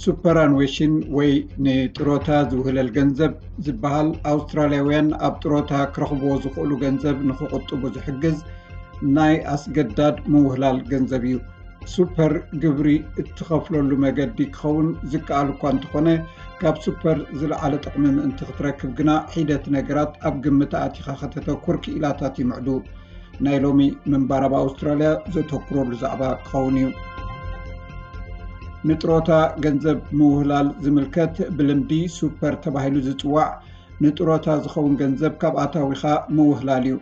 ሱፐራንዌሽን ወይ ንጥሮታ ዝውህለል ገንዘብ ዝበሃል ኣውስትራልያውያን ኣብ ጥሮታ ክረኽብዎ ዝኽእሉ ገንዘብ ንኽቑጥቡ ዝሕግዝ ናይ ኣስገዳድ ምውህላል ገንዘብ እዩ። ሱፐር ግብሪ እትኸፍለሉ መገዲ ክኸውን ዝከኣል እኳ እንተኾነ፣ ካብ ሱፐር ዝለዓለ ጥቕሚ ምእንቲ ክትረክብ ግና ሒደት ነገራት ኣብ ግምት ኣቲኻ ከተተኩር ክኢላታት ይምዕዱ። ናይ ሎሚ ምንባር ኣብ ኣውስትራልያ ዘተኩረሉ ዛዕባ ክኸውን እዩ። ንጥሮታ ገንዘብ ምውህላል ዝምልከት ብልምዲ ሱፐር ተባሂሉ ዝጽዋዕ ንጥሮታ ዝኸውን ገንዘብ ካብ ኣታዊኻ ምውህላል እዩ።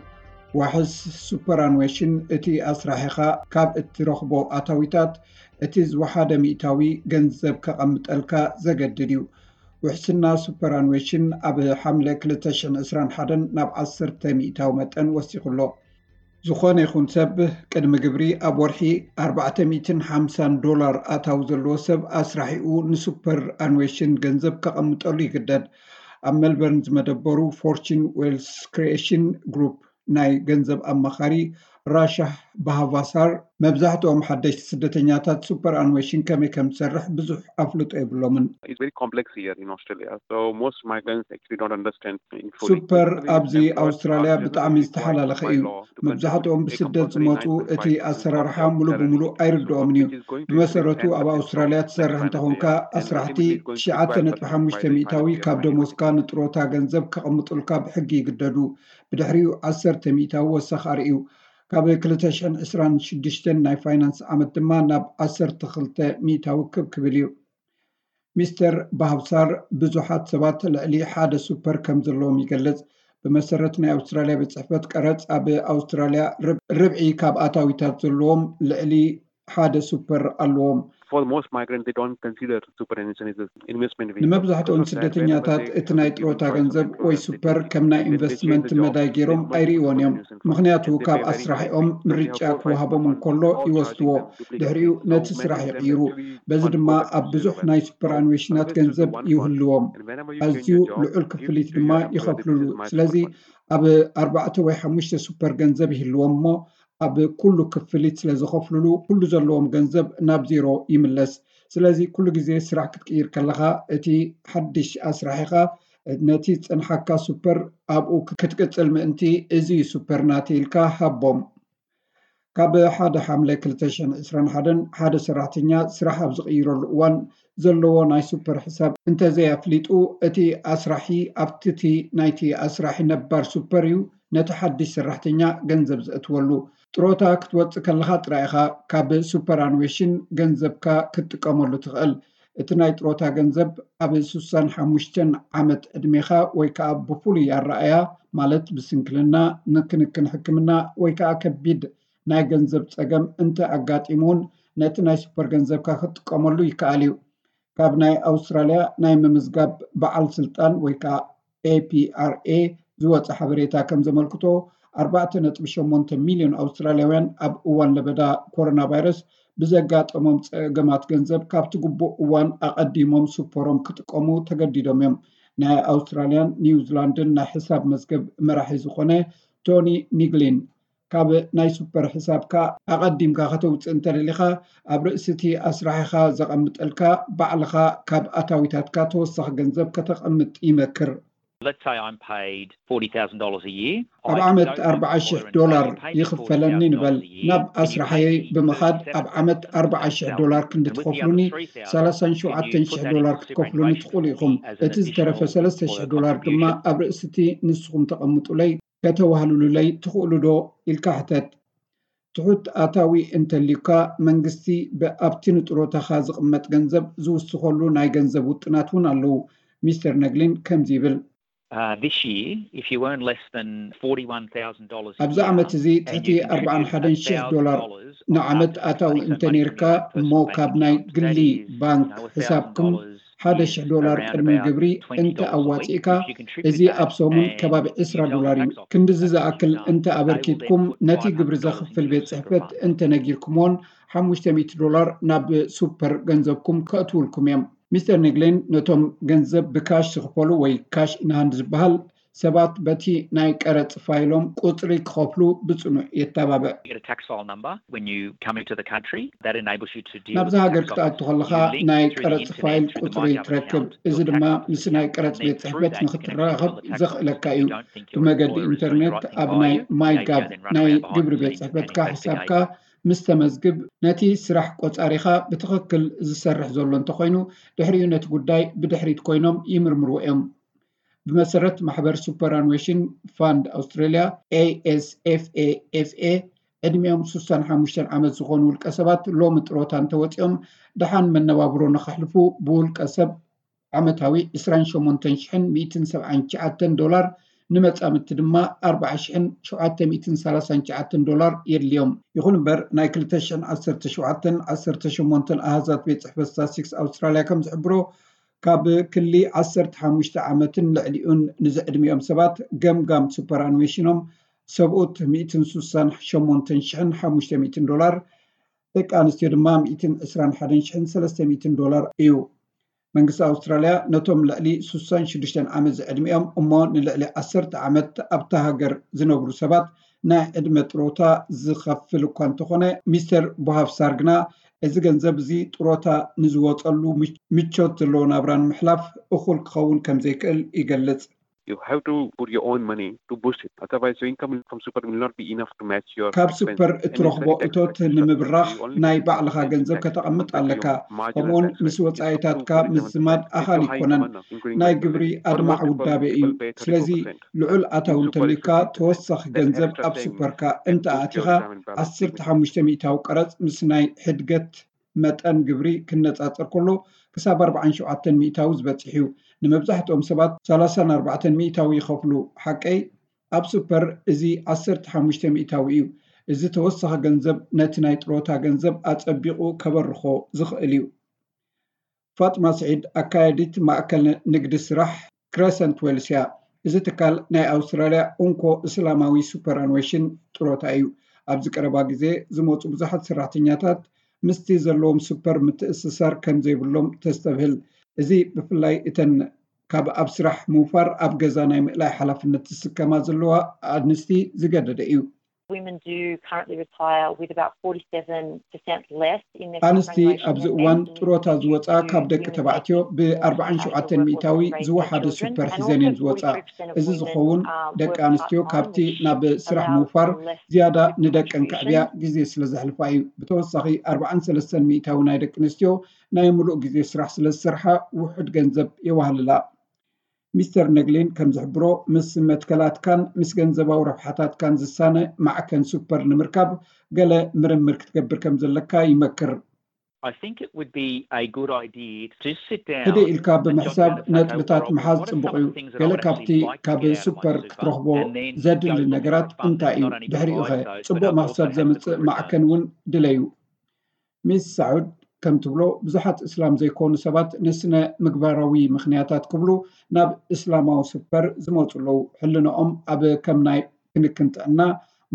ዋሕስ ሱፐራንዌሽን እቲ ኣስራሒኻ ካብ እትረኽቦ ኣታዊታት እቲ ዝወሓደ ሚእታዊ ገንዘብ ከቐምጠልካ ዘገድድ እዩ። ውሕስና ሱፐራንዌሽን ኣብ ሓምለ ክልተ ሽሕን ዕስራን ሓደን ናብ ዓሰርተ ሚእታዊ መጠን ወሲኹ ኣሎ። ዝኾነ ይኹን ሰብ ቅድሚ ግብሪ ኣብ ወርሒ ኣርባዕተ ሚእትን ሓምሳን ዶላር ኣታዊ ዘለዎ ሰብ ኣስራሒኡ ንሱፐር ኣንዌሽን ገንዘብ ከቐምጠሉ ይግደድ። ኣብ ሜልበርን ዝመደበሩ ፎርቹን ዌልስ ክሪኤሽን ግሩፕ ናይ ገንዘብ ኣማኻሪ ራሻህ ባሃቫሳር፣ መብዛሕትኦም ሓደሽቲ ስደተኛታት ሱፐር ኣንዌሽን ከመይ ከም ዝሰርሕ ብዙሕ ኣፍልጦ የብሎምን። It's very complex here in Australia. So most migrants actually don't understand in fully. ሱፐር ኣብዚ ኣውስትራልያ ብጣዕሚ ዝተሓላለኸ እዩ። መብዛሕትኦም ብስደት ዝመፁ እቲ ኣሰራርሓ ሙሉ ብሙሉ ኣይርድኦምን እዩ። ብመሰረቱ ኣብ ኣውስትራልያ ትሰርሕ እንተኾንካ ኣስራሕቲ ትሽዓተ ነጥቢ ሓሙሽተ ሚእታዊ ካብ ደሞዝካ ንጥሮታ ገንዘብ ከቐምጡልካ ብሕጊ ይግደዱ። ብድሕሪኡ ዓሰርተ ሚእታዊ ወሰኽ ኣርእዩ። ካብ ክልተ ሽሕን ዕስራን ሽዱሽተን ናይ ፋይናንስ ዓመት ድማ ናብ ዓሰርተ ክልተ ሚእታዊ ክብ ክብል እዩ። ሚስተር ባህብሳር ብዙሓት ሰባት ልዕሊ ሓደ ሱፐር ከም ዘለዎም ይገልጽ። ብመሰረት ናይ ኣውስትራልያ ቤት ጽሕፈት ቀረጽ ኣብ ኣውስትራልያ ርብ- ርብዒ ካብ ኣታዊታት ዘለዎም ልዕሊ ሓደ ሱፐር ኣለዎም። For most migrants, they don't consider superannuation as an investment vehicle. ንመብዛሕትኦም ስደተኛታት እቲ ናይ ጥሮታ ገንዘብ ወይ ሱፐር ከም ናይ ኢንቨስትመንት መዳይ ገይሮም ኣይርእይዎን እዮም። ምኽንያቱ ካብ ኣስራሒኦም ምርጫ ክወሃቦም እንከሎ ይወስድዎ። ድሕሪኡ ነቲ ስራሕ ይቕይሩ። በዚ ድማ ኣብ ብዙሕ ናይ ሱፐር ኣንዌሽናት ገንዘብ ይውህልዎም። ኣዝዩ ልዑል ክፍሊት ድማ ይኸፍልሉ። ስለዚ ኣብ ኣርባዕተ ወይ ሓሙሽተ ሱፐር ገንዘብ ይህልዎም እሞ ኣብ ኩሉ ክፍሊት ስለ ዝኸፍልሉ ኩሉ ዘለዎም ገንዘብ ናብ ዜሮ ይምለስ። ስለዚ ኩሉ ግዜ ስራሕ ክትቅይር ከለኻ እቲ ሓድሽ ኣስራሒኻ ነቲ ዝጸንሓካ ሱፐር ኣብኡ ክትቅጽል ምእንቲ እዚ ዩ ሱፐር ናተይ ኢልካ ሃቦም። ካብ ሓደ ሓምለ ክልተ ሽሕን ዕስራን ሓደን ሓደ ሰራሕተኛ ስራሕ ኣብ ዝቕይረሉ እዋን ዘለዎ ናይ ሱፐር ሕሳብ እንተዘይኣፍሊጡ እቲ ኣስራሒ ኣብቲ እቲ ናይቲ ኣስራሒ ነባር ሱፐር እዩ ነቲ ሓድሽ ሰራሕተኛ ገንዘብ ዘእትወሉ። ጥሮታ ክትወፅእ ከለኻ ጥራይ ኢኻ ካብ ሱፐር ኣንዌሽን ገንዘብካ ክትጥቀመሉ ትኽእል። እቲ ናይ ጥሮታ ገንዘብ ኣብ ስሳን ሓሙሽተን ዓመት ዕድሜኻ ወይ ከዓ ብፍሉይ ኣረኣያ ማለት ብስንክልና፣ ንክንክን ሕክምና ወይ ከዓ ከቢድ ናይ ገንዘብ ፀገም እንተ ኣጋጢሙ እውን ነቲ ናይ ሱፐር ገንዘብካ ክትጥቀመሉ ይከኣል እዩ። ካብ ናይ ኣውስትራልያ ናይ ምምዝጋብ በዓል ስልጣን ወይ ከዓ ኤፒኣርኤ ዝወፀ ሓበሬታ ከም ዘመልክቶ ኣርባዕተ ነጥቢ ሸሞንተ ሚልዮን ኣውስትራልያውያን ኣብ እዋን ለበዳ ኮሮና ቫይረስ ብዘጋጠሞም ፀገማት ገንዘብ ካብቲ ግቡእ እዋን ኣቐዲሞም ሱፐሮም ክጥቀሙ ተገዲዶም እዮም። ናይ ኣውስትራልያን ኒውዚላንድን ናይ ሕሳብ መዝገብ መራሒ ዝኾነ ቶኒ ኒግሊን ካብ ናይ ሱፐር ሕሳብካ ኣቐዲምካ ከተውፅእ እንተደሊኻ ኣብ ርእሲ እቲ ኣስራሒኻ ዘቐምጠልካ ባዕልኻ ካብ ኣታዊታትካ ተወሳኺ ገንዘብ ከተቐምጥ ይመክር። Let's say I'm paid forty thousand dollars a year. ኣብ ዓመት ኣርባዓ ሽሕ ዶላር ይኽፈለኒ ንበል። ናብ ኣስራሓየይ ብምኻድ ኣብ ዓመት ኣርባዓ ሽሕ ዶላር ክንዲ ትኸፍሉኒ፣ ሰላሳን ሸውዓተን ሽሕ ዶላር ክትከፍሉኒ ትኽእሉ ኢኹም። እቲ ዝተረፈ ሰለስተ ሽሕ ዶላር ድማ ኣብ ርእሲ እቲ ንስኹም ተቐምጡለይ ከተዋህልሉለይ ትኽእሉ ዶ ኢልካ ሕተት። ትሑት ኣታዊ እንተልዩካ መንግስቲ ብኣብቲ ንጥሮታኻ ዝቕመጥ ገንዘብ ዝውስኸሉ ናይ ገንዘብ ውጥናት እውን ኣለዉ። ሚስተር ነግሊን ከምዚ ይብል። Uh, this year, if you earn less than forty-one thousand dollars a ኣብዚ year, ዓመት እዚ and ትሕቲ you contribute ኣርባዓን ሓደን ሽሕ a thousand ዶላር dollars ንዓመት after ኣታዊ tax and እንተ money ነይርካ from your እሞ personal ካብ ናይ accounts, ግሊ that is, ባንክ you know, a ሕሳብኩም thousand dollars ሓደ is ሽሕ ዶላር around ቅድሚ about ግብሪ twenty እንተ dollars a week. ኣዋፂእካ If you contribute እዚ that ኣብ ሰሙን and ከባቢ you ዕስራ tell the ዶላር እዩ። tax office ክንድዚ how much ዝኣክል you've done, እንተ they will then ኣበርኪትኩም put ነቲ five ግብሪ hundred dollars ዘኽፍል into ቤት your ፅሕፈት እንተ ነጊርኩምዎን ሓሙሽተ ሚእቲ ዶላር ናብ ሱፐር ገንዘብኩም ከእትውልኩም እዮም። ሚስተር ኒግሊን ነቶም ገንዘብ ብካሽ ዝኽፈሉ ወይ ካሽ ኢንሃንድ ዝበሃል ሰባት በቲ ናይ ቀረጽ ፋይሎም ቁጽሪ ክኸፍሉ ብጽኑዕ የተባብዕ። Get a tax file number when you come into the country that enables you to deal ናብዚ with ሃገር tax ክትኣቱ office. ከለኻ You link ናይ through the ቀረጽ internet ፋይል to the ቁጽሪ MyGov ትረክብ። account, እዚ your ድማ tax office ምስ ናይ account, ቀረጽ and ቤት then through ጽሕፈት that you can ንኽትራኸብ access the tax ዘኽእለካ office. እዩ። You don't think you're ብመገዲ a lawyer, so ኢንተርኔት you're asking ኣብ a ናይ lawyer, you may ማይጋቭ go then run ናይ away behind ግብሪ the ቤት scenes and ጽሕፈትካ investigate. ሕሳብካ ምስ ተመዝግብ፣ ነቲ ስራሕ ቆጻሪኻ ብትኽክል ዝሰርሕ ዘሎ እንተኾይኑ፣ ድሕሪኡ ነቲ ጉዳይ ብድሕሪት ኮይኖም ይምርምርዎ እዮም። ብመሰረት ማሕበር ሱፐራንዌሽን ፋንድ ኣውስትራልያ፣ ኤ ኤስ ኤፍ ኤ ኤፍ ኤ፣ ዕድሚኦም ሱሳን ሓሙሽተን ዓመት ዝኾኑ ውልቀ ሰባት ሎሚ ጥሮታ እንተወፂኦም፣ ደሓን መነባብሮ ንኸሕልፉ ብውልቀ ሰብ ዓመታዊ ዕስራን ሸሞንተን ሽሕን ሚእትን ሰብዓን ትሽዓተን ዶላር፣ ንመጻምድቲ ድማ ኣርባዓ ሽሕን ሸውዓተ ሚእትን ሰላሳን ትሽዓተን ዶላር የድልዮም። ይኹን እምበር፣ ናይ ክልተ ሽሕን ዓሰርተ ሸውዓተን ዓሰርተ ሸሞንተን ኣሃዛት ቤት ጽሕፈት ስታትስቲክስ ኣውስትራልያ ከም ዝሕብሮ፣ ካብ ክሊ ዓሰርተ ሓሙሽተ ዓመትን ልዕሊኡን ንዝዕድሚኦም ሰባት ገምጋም ሱፐር ኣንዌሽኖም ሰብኡት ሚእትን ሱሳን ሸሞንተን ሽሕን ሓሙሽተ ሚእትን ዶላር፣ ደቂ ኣንስትዮ ድማ ሚእትን ዕስራን ሓደን ሽሕን ሰለስተ ሚእትን ዶላር እዩ። መንግስቲ ኣውስትራልያ ነቶም ልዕሊ ሱሳን ሽዱሽተን ዓመት ዝዕድሚኦም እሞ ንልዕሊ ዓሰርተ ዓመት ኣብታ ሃገር ዝነብሩ ሰባት ናይ ዕድመ ጥሮታ ዝኸፍል እኳ እንተኾነ፣ ሚስተር ቦሃፍሳር ግና እዚ ገንዘብ እዚ ጥሮታ ንዝወፀሉ ምች- ምቾት ዘለዎ ናብራ ንምሕላፍ እኹል ክኸውን ከም ዘይክእል ይገልጽ። You have to put your own money to boost it. Otherwise, your income from super will not be enough to match your ካብ expenses. ሱፐር And it's እትረኽቦ very tax እቶት efficient. ንምብራኽ You only ናይ need ባዕልኻ ten ገንዘብ percent ከተቐምጥ of your ኣለካ። marginal ከምኡውን tax ምስ rate. It's up to ወጻኢታትካ forty-seven percent. ምዝማድ It's ኣኻሊ too high in ኣይኮነን። Manna, including ናይ my ግብሪ taxes. For ኣድማዕ most people, ውዳቤ እዩ። people pay ስለዚ thirty-four percent. ልዑል ኣታዊ In super, it's እንተልዩካ fifty percent. ተወሳኺ That ገንዘብ extra ኣብ ten ሱፐርካ percent እንተኣቲኻ goes down in balance. ዓሰርተ ሓሙሽተ ሚእታዊ ቀረጽ ምስ ናይ ሕድገት መጠን ግብሪ ክነጻጸር ከሎ ክሳብ ኣርባዓን ሸውዓተን ሚእታዊ ዝበጽሕ እዩ። ንመብዛሕትኦም ሰባት ሰላሳን ኣርባዕተን ሚእታዊ ይኸፍሉ። ሓቀይ ኣብ ሱፐር እዚ ዓሰርተ ሓሙሽተ ሚእታዊ እዩ። እዚ ተወሳኺ ገንዘብ ነቲ ናይ ጥሮታ ገንዘብ ኣጸቢቑ ከበርኾ ዝኽእል እዩ። ፋጥማ ስዒድ ኣካያዲት ማእከል ንግዲ ስራሕ ክረሰንት ዌልስ እያ። እዚ ትካል ናይ ኣውስትራልያ እንኮ እስላማዊ ሱፐር ኣንዌሽን ጥሮታ እዩ። ኣብዚ ቀረባ ግዜ ዝመፁ ብዙሓት ሰራሕተኛታት ምስቲ ዘለዎም ሱፐር ምትእስሳር ከም ዘይብሎም ተስተብህል። እዚ ብፍላይ እተን ካብ ኣብ ስራሕ ምውፋር ኣብ ገዛ ናይ ምእላይ ሓላፍነት ዝስከማ ዘለዋ ኣንስቲ ዝገደደ እዩ። Women do currently retire with about forty-seven percent less in their ኣንስቲ superannuation ኣብዚ than እዋን men in ጥሮታ the ዝወፃ U K, ካብ do ደቂ women ተባዕትዮ take more ብ ኣርባዓን time out of the ሸውዓተን workforce ሚእታዊ ዝወሓደ children, ሱፐር and ሒዘን also እየን ዝወፃ። forty-three percent of እዚ women ዝኸውን um, ደቂ work ኣንስትዮ part-time, ካብቲ which ናብ ስራሕ allows ምውፋር for less ዝያዳ pension ንደቀን contribution. ከዕብያ ግዜ ስለ ዘሕልፋ እዩ። ብተወሳኺ ኣርባዓን ሰለስተን ሚእታዊ ናይ ደቂ ኣንስትዮ ናይ ሙሉእ ግዜ ስራሕ ስለ ዝሰርሓ ውሑድ ገንዘብ የዋህልላ። ሚስተር ነግሊን ከም ዝሕብሮ፣ ምስ መትከላትካን ምስ ገንዘባዊ ረብሓታትካን ዝሳነ ማዕከን ሱፐር ንምርካብ ገለ ምርምር ክትገብር ከም ዘለካ ይመክር። I think it would be a good idea to sit down ህድእ ኢልካ ብምሕሳብ ነጥብታት ምሓዝ ጽቡቕ እዩ። ገለ ካብቲ ካብ ሱፐር ክትረኽቦ ዘድሊ ነገራት እንታይ እዩ? ድሕሪኡ ኸ ጽቡቕ መኽሰብ ዘምጽእ ማዕከን እውን ድለዩ። ሚስ ሳዑድ ከም ትብሎ፣ ብዙሓት እስላም ዘይኮኑ ሰባት ንስነ ምግባራዊ ምኽንያታት ክብሉ ናብ እስላማዊ ሱፐር ዝመፁ ኣለዉ። ሕልንኦም ኣብ ከም ናይ ክንክን ጥዕና፣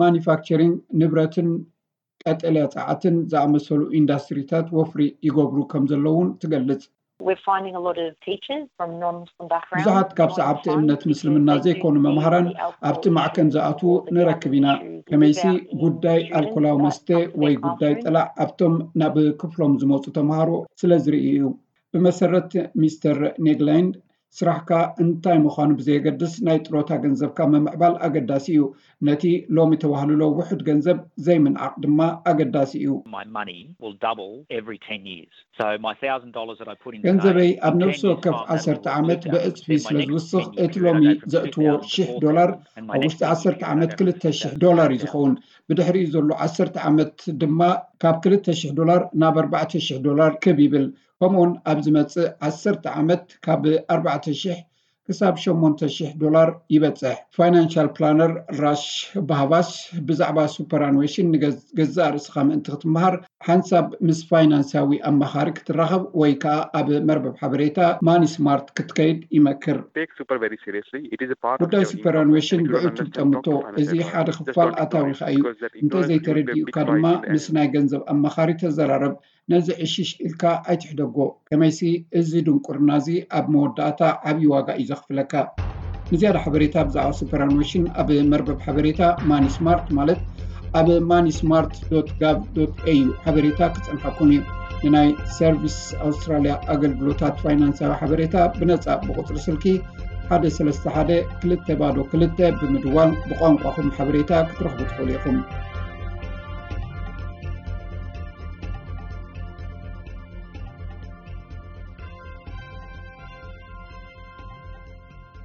ማኒፋክቸሪንግ፣ ንብረትን ቀጠልያ ጸዓትን ዝኣመሰሉ ኢንዳስትሪታት ወፍሪ ይገብሩ ከም ዘለዉ እውን ትገልጽ። We're finding a lot of teachers from non-Muslim backgrounds. ብዙሓት ካብ ሰዓብቲ እምነት ምስልምና ዘይኮኑ መምሃራን ኣብቲ ማዕከን ዝኣትዉ ንረክብ ኢና። ከመይሲ ጉዳይ ኣልኮላዊ መስተ ወይ ጉዳይ ጥላዕ ኣብቶም ናብ ክፍሎም ዝመፁ ተምሃሮ ስለ ዝርኢ እዩ። ብመሰረት ሚስተር ኔግላይንድ፣ ስራሕካ እንታይ ምዃኑ ብዘየገድስ ናይ ጥሮታ ገንዘብካ ምምዕባል ኣገዳሲ እዩ። ነቲ ሎሚ ተዋህልሎ ውሑድ ገንዘብ ዘይምንዓቕ ድማ ኣገዳሲ እዩ። My money will double every ten years. So my thousand dollars that I put in today, ገንዘበይ ኣብ in ነፍሲ ten years' ወከፍ time, that ዓሰርተ will ዓመት triple. ብዕፅፊ Then my ስለ next ዝውስኽ፣ ten years, እቲ it ሎሚ goes from ዘእትዎ two thousand to ሽሕ four ዶላር thousand, and my ኣብ next ውሽጢ ten years, ዓሰርተ it ዓመት goes up to ክልተ ሽሕ five thousand. ዶላር እዩ ዝኸውን። ብድሕሪኡ ዘሎ ዓሰርተ ዓመት ድማ ካብ ክልተ ሽሕ ዶላር ናብ ኣርባዕተ ሽሕ ዶላር ክብ ይብል። ከምኡውን ኣብ ዝመጽእ ዓሰርተ ዓመት ካብ ኣርባዕተ ሽሕ ክሳብ ሸሞንተ ሽሕ ዶላር ይበጽሕ። ፋይናንሻል ፕላነር ራሽ ባሃባስ ብዛዕባ ሱፐር ኣንዌሽን ንገዛእ ርእስኻ ምእንቲ ክትመሃር፣ ሓንሳብ ምስ ፋይናንሳዊ ኣማኻሪ ክትራኸብ ወይ ከኣ ኣብ መርበብ ሓበሬታ ማኒ ስማርት ክትከይድ ይመክር። Take super very seriously. It is a part of ጉዳይ your ሱፐር income. ኣንዌሽን And if you don't ብዕቱብ understand ጠምቶ። proper finance, እዚ you don't ሓደ understand. Just ክፋል don't ignore ኣታዊኻ it, እዩ። because that ignorance will be a እንተዘይተረዲኡካ big price ድማ in the ምስ end. ናይ ገንዘብ ኣማኻሪ ተዘራረብ። ነዚ ዕሽሽ ኢልካ ኣይትሕደጎ። ከመይሲ እዚ ድንቁርና እዚ ኣብ መወዳእታ ዓብዪ ዋጋ እዩ ዘኽፍለካ። ንዝያዳ ሓበሬታ ብዛዕባ superannuation ኣብ መርበብ ሓበሬታ ማኒ ስማርት ማለት ኣብ ማኒ ስማርት ዶት ጋቭ ዶት ኤዩ ሓበሬታ ክጸንሓኩም እዩ። ንናይ ሰርቪስ ኣውስትራልያ ኣገልግሎታት ፋይናንሳዊ ሓበሬታ ብነጻ ብቁጽሪ ስልኪ ሓደ ሰለስተ ሓደ ክልተ ባዶ ክልተ ብምድዋል ብቋንቋኹም ሓበሬታ ክትረኽቡ ትኽእሉ ኢኹም።